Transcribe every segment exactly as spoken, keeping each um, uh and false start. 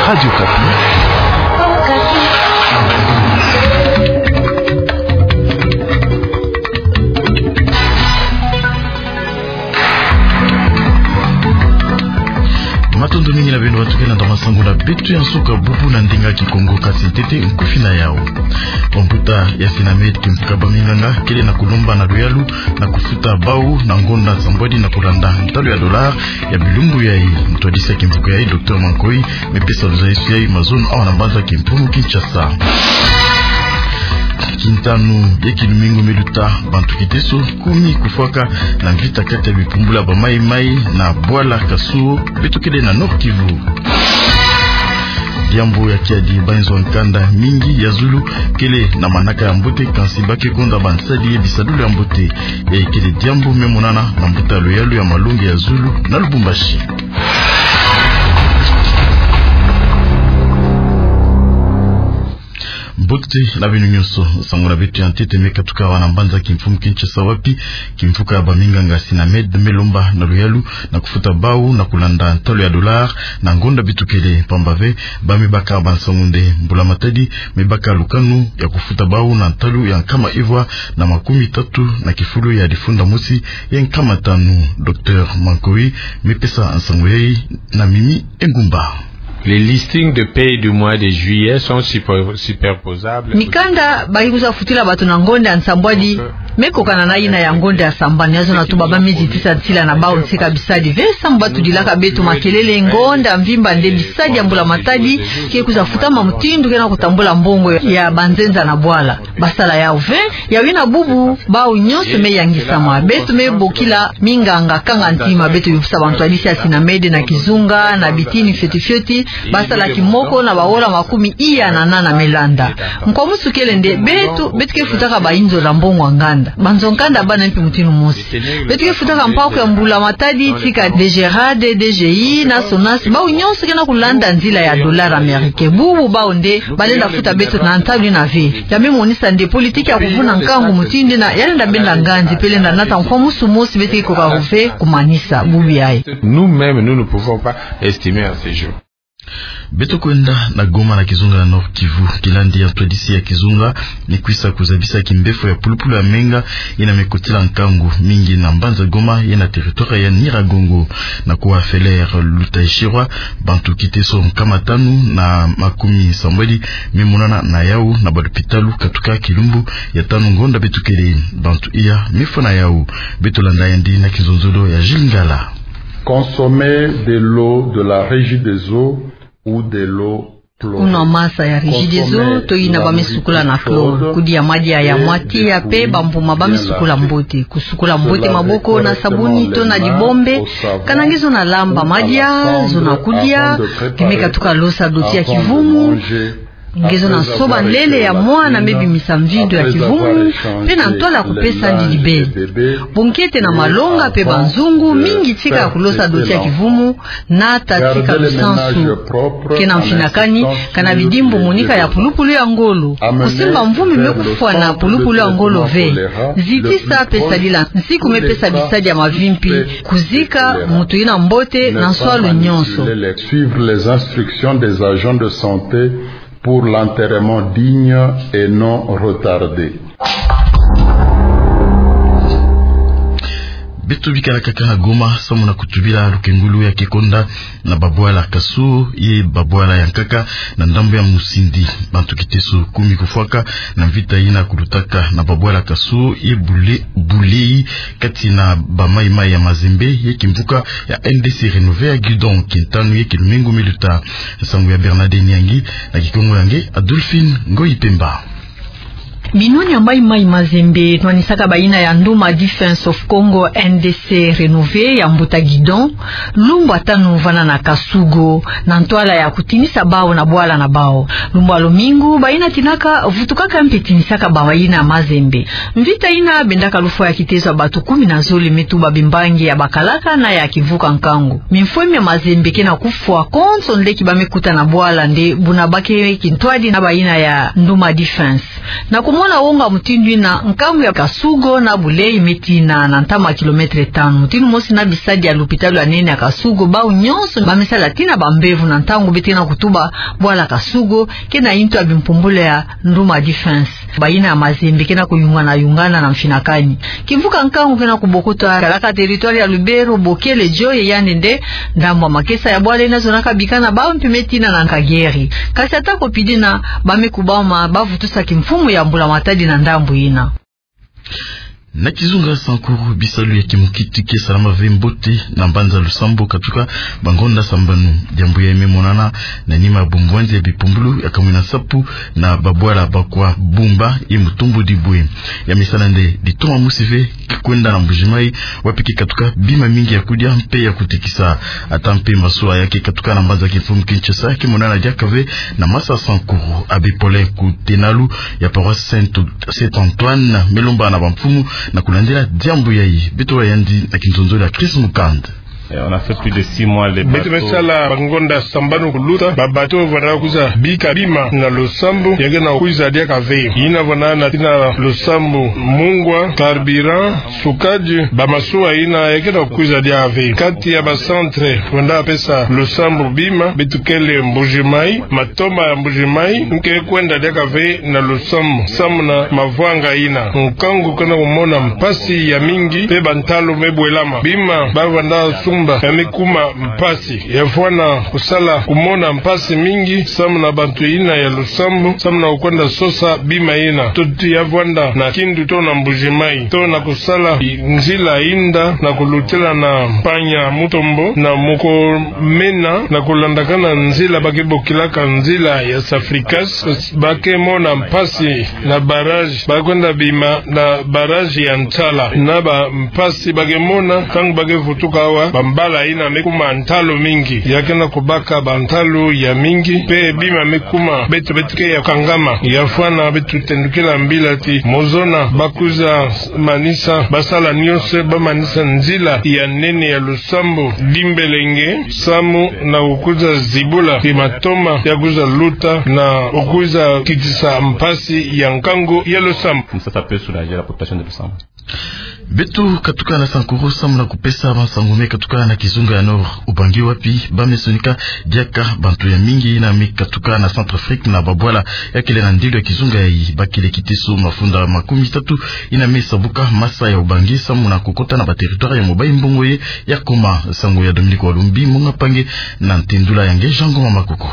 Radio Okapi. Matondo mingi na beno batukila na masangu na beto ya nsuka bubu na ndinga Kikongo, kasi ntete nkufi na yau. Bambuta ya Synamed, kimvuka baminganga, kele na kulomba na luyalu na kufuta bau na ngonda nsambwadi na kulanda ntalu ya dollar ya bilumbu yai. Ntwadisi ya kimvuka yai, Docteur Mankoy, me pesa luzayisi yai mazono awa na mbanza kimfumu Kinshasa. Kintanu ye kilumingu miluta, bantu kiteso kumi kufwaka na mvita kati ya bipumbulu ya ba Maï-Maï na bwala Kasuo, beto kele na Nord-Kivu. Diambu ya kiadi, banzo nkanda mingi ya zulu kele na manaka ya mbote, kansi ba ke konda bansadi ye bisadulu ya mbote. Yayi kele diambu me monana na mbuta ya luyalu ya malongi ya zulu na Lubumbashi. Mbote na beno nyonso. Nsangu na beto ya ntete me katuka awa na mbanza kimfumu Kinshasa, wapi kimvuka ya baminganga Synamed me lomba na luyalu na kufuta bau na kulanda ntalu ya dollar na ngonda beto kele, pamba ve ba me baka bansangu nde mbula matadi me baka lukanu ya kufuta bau na ntalu ya nkama ivwa na makumi tatu na kifulu ya difunda mosi ye nkama tanu. Docteur Mankoy me pesa nsangu yai na Mimi Engumba. Les listings de paie du mois de juillet sont super-, superposables. Mikanda ba ke kwiza futila bato na ngonda ya nsambwadi me kokana na yina ya ngonda ya sambanu. Ya zona tuba ba me zitisa nsila na bau nsi ka bisadi ve, samu ba tudilaka beto makelele ngonda mvimba nde bisadi ya mbula matadi ke kwiza futama mutindu ke na kutambula mbongo ya banzenza na bwala. Ba sala yau ve, yau yina bubu bau nyonso me yangisama. Beto me bokila minganga kanga ntima, beto bipusa bantwadisi ya Synamed na kizunga, na bitini fioti fioti, ba sala kimoko na baola makumi iya na nana me landa. Nkwamusu kele nde beto, beto ke futaka bainzo na mbongo ya nganda. Banzo nkanda bana mpe mutindu mosi. Beto ke futaka mpaku ya mbula matadi tika DGRAD, DGI na SONAS, bau nyonso ke na kulanda nzila ya dollar américain. Bubu bau nde ba lenda futa beto na ntalu yina ve. Ya me monisa nde politique ya kuvuna nkangu mutindu yina ya lenda benda nganzi, pe lenda nata nkwamusu mosi beto ke koka ve kumanisa bubu yayi. Nous-mêmes, nous ne pouvons pas estimer à ce jour. Beto kwenda na Goma na kizunga na Nord-Kivu. Kilandi ya ntwadisi ya kizunga me kwiza kuzabisa kimbefo ya pulupulu ya menga yina me kotila nkangu mingi na mbanza Goma ye na territoire ya Nyiragongo. Na kuwa Feller Lutaishirwa, bantu kiteso nkama tanu na makumi sambwadi me monana na yau na balopitalu katuka kilumbu ya tanu ngonda beto kele. Bantu iya me fwa na yau. Beto landa yandi na kizonzolo ya Gilles Ngala. Consommer de l'eau de la Régie des eaux ou de l'eau chlorée. Kunwa masa ya Régie des eaux to yina ba me sukula na chlore. Kudia madia ya mwa tiya pe bambuma ba me sukula mbote. Kusukula mbote maboko na sabuni to na dibombe. Kana nge zona lamba madia, zona kudia, nge me katuka losa doti ya kivumu, nge zona soba nlele ya mwana me bimisa mvindo ya kivumu, pe na ntwala kupesa ndidi beni. Bonkete na malonga pe banzungu, mingi tika kulosa doti ya kivumu, nata tika lusansu. Ke na mfinakani, kana bidimbu monika ya pulupulu ya ngolo. Kusimba mvu me kufwa na pulupulu ya ngolo ve. Zitisa pe sadila nsiku me pesa bisadi ya mavimpi. Kuzika mutu yina mbote na nswalu nyonso. Suivre les instructions des agents de santé pour l'enterrement digne et non retardé. Beto bikala kaka na Goma, samu na kutubila lukengulu ya ke konda na babwala Kasuo ye babwala ya nkaka na ndambu ya Musindi. Bantu kiteso kumi kufwaka na mvita yina kulutaka na babwala Kasuo ye Bule-, Bulei, kati na ba Maï-Maï ya Mazembe ye kimvuka ya N D C Renové ya Gidon, kintanu ye kilumingu miluta. Nsangu ya Bernadette Nyangi, na Kikongo ya nge Adolphine Ngoyi Pemba. Binwani ya Maï-Maï Mazembe nwanisaka bayina ya Nduma Defense of Congo, N D C Renové, ya mbuta Gidon, lumbu ya tanu vana na Kasugo, na ntwala ya kutinisa bau na bwala na bau. Lumbu ya lomingu, bayina tinaka vutukaka mpe tinisaka bayina ya Mazembe. Mvita yina bendaka lufwa ya kiteso ya bantu kumi na zole, me tuba bimbangi ya bakalaka na ya kivuka nkangu. Mimfwemi ya Mazembe ke na kufwa konso nleki ba me kuta na bwala nde buna ba ke kintwadi na bayina ya Nduma Defense. Na kumona Na wonga mutindu ina, nkangu ya Kasugo na Boulay me tina na ntama kilometre tanu. Mutindu mosi na bisadi ya lupitalu ya nene ya Kasugo, bau nyonso ba me sala tina ba mbevo na ntangu bete na kutuba bwala Kasugo, ke na intu ya bimpumbulu ya Nduma Defense. Bayina ya Mazembe ke na kuyungana-yungana na mfinakani. Kimvuka nkangu ke na kubokoto kalaka territoire ya Lubero, Bokele, Dioye, yandi nde ndambu ya makesa ya bwala ina zonaka bikana bau mpe me tina na Nkageri. Kasi ata ko pidi ina, ba me kubama ba vutusa kimfumu ya mbula matadi na ndambu ina. Na kizunga Sankuru, bisalu ya kimukiti ke salama ve mbote na mbanza Lusambo katuka bangonda sambanu. Diambu ya me monana na nima ya bumbwanzi ya bipumbulu ya kamwina sapu na babwala bakwa Bumba ye Mutombo Dibwe. Ya me sala nde ditoma mosi ve ki kwenda na Mbuji-Mayi, wapi ke katuka bima mingi ya kudia mpe ya kutekisa. Ata mpe masuwa ya ke katuka na mbanza kimfumu Kinshasa ke monana diaka ve na masa Sankuru. Abbé Paulin Kutenalu ya paroisse Saint, Saint Antoine me lomba na bamfumu na kulandila diambu yayi. Beto wa yandi na kinzonzolo ya Chris Mukand. Eh, on a fait plus de six mois, les bateaux. Beto me sala bangonda sambanu kuluta, ba bateaux vanda kwiza bika bima na Lusambo, ya ke na kwiza diaka ve. Ina vanda na tina Lusambo, mungwa, carburant, sukadi, ba masuwa ina ya ke na kwiza diaka ve. Kati ya ba centre vanda pesa Lusambo bima, beto kele Mbuji-Mayi, matoma ya Mbuji-Mayi, nke kwenda diaka ve na Lusambo, samu na mavwanga ina. Nkangu ke na kumona mpasi ya mingi, mpe bantalu me bwelama. Bima ba vanda sumba ya me kuma mpasi. Ya fwana kusala kumona mpasi mingi, samu na bantu ina ya Lusambo, samu na kukwenda sosa bima ina. Toti ya vwanda na Kindu to na Mbuji-Mayi, to na kusala i-, nzila inda na kulutila na Mpanya Mutombo, na Mukomena, na kulandakana nzila ba ke bokilaka nzila ya Safricas, ba ke mona mpasi na barrage, ba kwenda bima na barrage ya Ntala, na ba mpasi ba ke mona, ntangu ba ke vutuka awa, bambala ina me kuma ntalu mingi, ya ke na kubaka bantalu ya mingi, mpe bima me kuma, beto beto ke ya kangama, ya fwana beto tendukila mbila ti, mozona, ba kwiza manisa, ba sala nyonso, ba manisa nzila ya nene ya Lusambo, Dimbelenge, samu na kukwiza zibula ti matoma ya kwiza luta na kukwiza kitisa mpasi ya nkangu ya Lusambo. Comme ça, ça peut soulager la population de Lusambo. Beto katuka na Sankuru samu na kupesa bansangu me katuka na kizunga ya Nord Ubangi, wapi ba me sonika diaka bantu ya mingi ina me katuka na Centrafrique na babwala ya kele na ndilo ya kizunga yayi. Ba kele kitisu mafunda makumi tatu ina me sabuka masa ya Ubangi samu na kukota na ba territoire ya Mobayi-Mbongo ye ya Koma. Sango ya Dominique Walumbi, Monga Pange, na ntendula ya nge Jean Ngoma Makoko.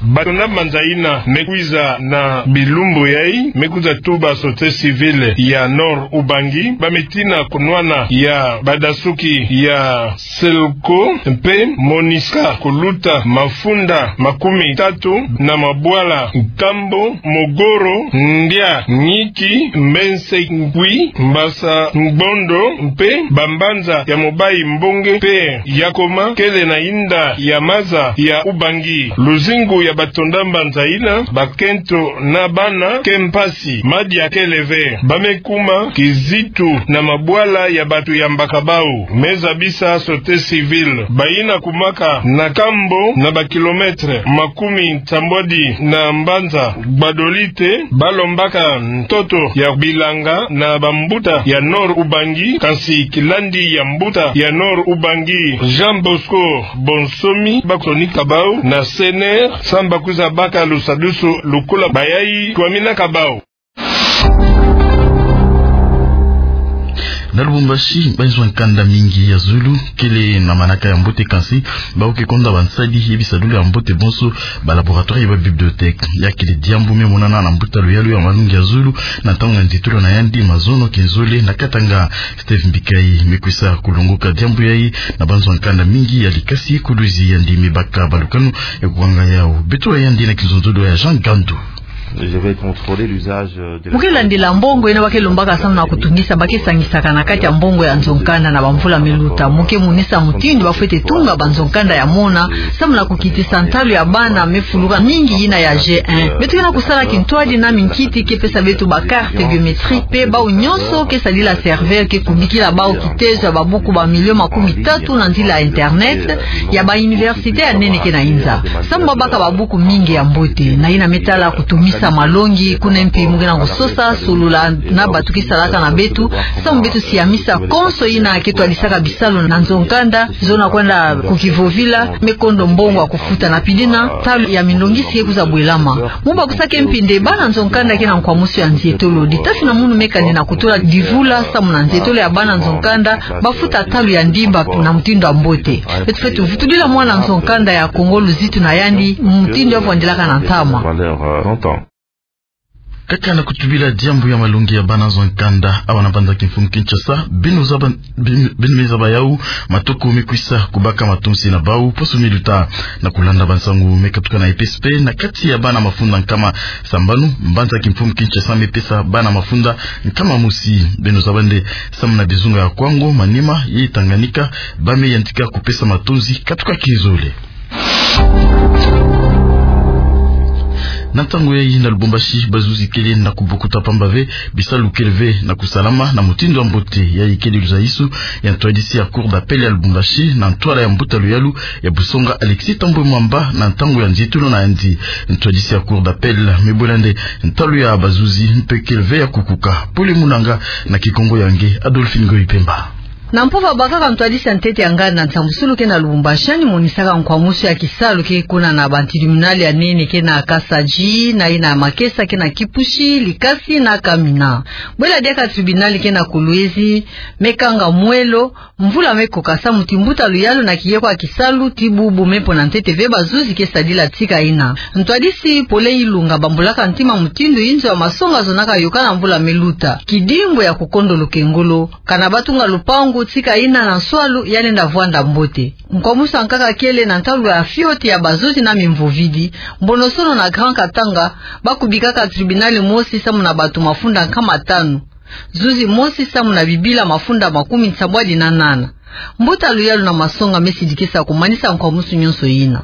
Bato na banza ina me kwiza na bilumbu yayi, me kwiza tuba société civile ya Nord Ubangi, ba me tina kunwana ya badasuki ya Selco mpe Monisca kuluta mafunda makumi tatu na mabwala Nkambo, Mogoro, Ndia, Niki, Mbense, Ngwi, Mbasa, Ngbondo mpe bambanza ya Mobayi-Mbongo mpe ya Koma kele na inda ya maza ya Ubangi. Luzingu ya bato na banza ina, bakento na bana, ke mpasi. Madia kele ve, ba me kuma kizitu na mabwala ya bato ya mbaka bau, me zabisa société civile. Bayina kumaka na Nkambo na ba kilomètre makumi nsambwadi na mbanza Gbadolite, ba lombaka ntoto ya bilanga na bambuta ya Nord Ubangi, kansi kilandi ya mbuta ya Nord Ubangi, Jean Bosco Bonsomi, ba sonika bau na C N R, samu ba kwiza baka lusadusu lukula bayayi twaminaka bau. Na Lubumbashi, banzwa nkanda mingi ya zulu kele na manaka ya mbote, kansi bau ke konda bansadi ye bisalu ya mbote bonso, ba laboratoire ye ba bibliothèque. Ya kele diambu me monana na mbuta luyalu ya malungi ya zulu na ntangu ya nzitulu na yandi mazono kinzole na Katanga. Steve Mbikayi me kwisa kulongoka diambu yayi na banzwa nkanda mingi ya likasi kuluzi, yandi me baka balukanu ya kukanga yau. Beto wa yandi na kinzonzolo ya Jean Gandu. Je vais contrôler l'usage, euh, de la... Mu ke landila mbongo ina ba ke lombaka samu na kutungisa, ba ke sangisaka na kati ya mbongo ya nzo-nkanda na bamvula me luta. Mu ke monisa mutindu ba fwete tunga banzo-nkanda ya mona, samu na kukitisa ntalu ya bana me fuluka mingi yina ya G un. Beto ke na kusala kintwadi na minkiti ke pesa beto ba carte biométrique, mpe bau nyonso ke sadila serveur ke kubikila bau kitezo ya babuku ba million makumi tatu na nzila ya internet ya ba université ya nene ke na inza, samu ba baka babuku mingi ya mbote, na yina me tala kutumisa Sa malongi kuna mpe mu ke na kusosa, solula na bato ke salaka na beto, samu beto siamisa konso yina ke twadisaka bisalu na nzo-nkanda, zona kwenda ku kivovila, me kondo mbongo ya kufuta na pili na ntalu ya milongisi ke kwiza bwelama. Mu bakusaka mpe nde bana nzo-nkanda ke na nkwamusu ya nzietolo, ditasi na munu me kani na kutula divula samu na nzietolo ya bana nzo-nkanda bafuta ntalu ya ndimba na mutindu ya mbote. Beto fweti vutulila mwana nzo-nkanda ya Kongo luzitu na yandi, mutindu ya vwandelaka na ntama. Kaka na kutubila diambu ya malongi ya bana nzo-nkanda, awa na mbanza kimfumu Kinshasa, beno zaba, beno, beno me zaba yau, matoko me kwisa kubaka matonsi na bau poso me luta. Na kulanda bansangu me katuka na E P S P, na kati ya bana mafunda nkama sambanu, mbanza kimfumu Kinshasa me pesa bana mafunda nkama mosi. Beno zaba nde samu na bizunga ya Kwango, Maniema ye Tanganyika, ba me yantika kupesa matonsi katuka kizole. Na ntangu yayi na Lubumbashi, bazuzi kele na kubokuta pamba ve, bisalu kele ve na kusalama na mutindu ya mbote. Yayi kele luzaisu ya ntwadisi ya Cour d'appel ya Lubumbashi na ntwala ya mbuta luyalu ya Busonga Alexis Thambwe Mwamba na ntangu ya nzietolo na yandi. Ntwadisi ya Cour d'appel me bwela nde ntalu ya bazuzi mpe kele ve ya kukuka. Pole munanga na Kikongo ya nge Adolphine Ngoyi Pemba. Na mpova bakaka ntwadisi ya ntete ya nganda nsambusulu ke na Lubumbashi, yandi monisaka nkwamusu ya kisalu ke kuna na ba tribunal ya nene ke na Kasaji, na yina ya makesa ke na Kipushi, Likasi na Kamina. Bwela diaka tribunal ke na Kolwezi, me kanga mwelo, mvula me koka samu ti mbuta luyalu na kiye kwa kisalu ti bubu me pona ntete ve bazuzi ke sadila tika yina. Ntwadisi Paulin Ilunga bambulaka ntima mutindu inzo ya masonga zonaka yoka na mvula me luta. Kidimbu ya kukondo lukengolo, kana batunga lupangu tika yina na nswalu ya lenda vwanda mbote. Nkwamusu ya nkaka kele na ntalu ya fioti ya bazuzi na mimvovidi, Mbonosono na Grand Katanga, bakubikaka tribunal mosi samu na bato mafunda nkama tanu. Zuzi mosi samu na bibila mafunda makumi nsambwadi na nana. Mbuta luyalu na masonga me sidikisa kumanisa nkwamusu nyonso yina.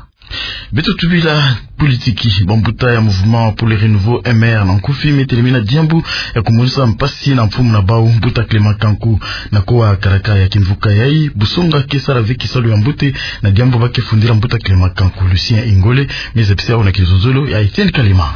Beto tubila politiki, bambuta ya Mouvement pour le Renouveau, M R, na nkufi me telemena diambu ya kumonisa mpasi na mfumu na bau, mbuta Clément Kanku. Na kowa karaka ya kimvuka yayi, Busonga ke sala ve kisalu ya mbote na diambu ba ke fundila mbuta Clément Kanku. Lucien Ingole me zabisa yau na kizololo ya Etienne Kalima.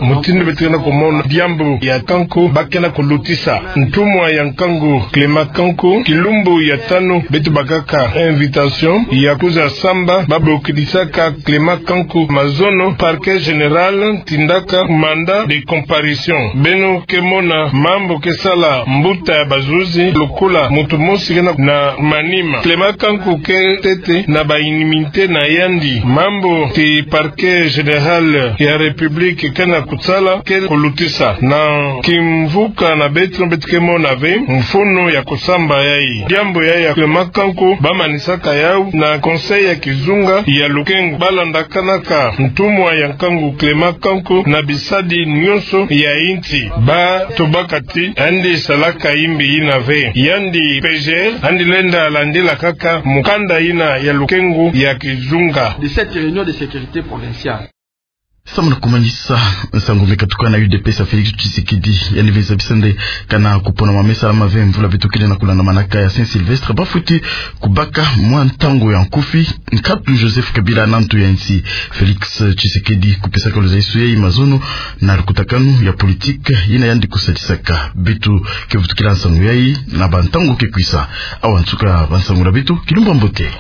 Mutindu beto ke na kumona diambu ya Kanku ba ke na kulutisa, ntumwa ya Nkangu Clément Kanku, kilumbu ya tanu beto bakaka invitation ya kwiza samba, ba bokidisaka Clément Kanku mazono. Parquet général tindaka mandat de comparution. Beno ke mona mambu ke sala mbuta ya bazuzi, lokola mutu mosi ke na manima. Clément Kanku ke ntete na ba immunité na yandi. Mambu ti Parquet général ya République ke na kusala ke kulutisa. Na kimvuka na beto, beto ke mona ve mfunu ya kusamba yayi. Diambu yayi ya Clément Kanku ba manisaka yau na Conseil ya kizunga ya lukengu. Ba landakanaka ntumwa ya Nkangu Clément Kanku na bisadi nyonso ya insi. Ba tubaka ti yandi salaka imbi yina ve. Yandi P G L, yandi lenda landila kaka mukanda yina ya lukengu ya kizunga. De cette réunion de sécurité provinciale. Samu na kumanisa, nsangu me katuka na U D P S ya Félix Tshisekedi, yandi me zabisa nde kana kuponama me salama ve mvula beto kele na kulandamanaka ya Saint-Sylvestre, ba fweti kubaka mwa ntangu ya nkufi nkatu Joseph Kabila na ntu ya insi. Félix Tshisekedi kupesaka luzaisu yayi mazono na lukutakanu ya politique yina yandi kusadisaka. Beto ke vutukila nsangu yayi na bantangu ke kwisa. Awa nsuka bansangu na beto, kilumbu ya mbote.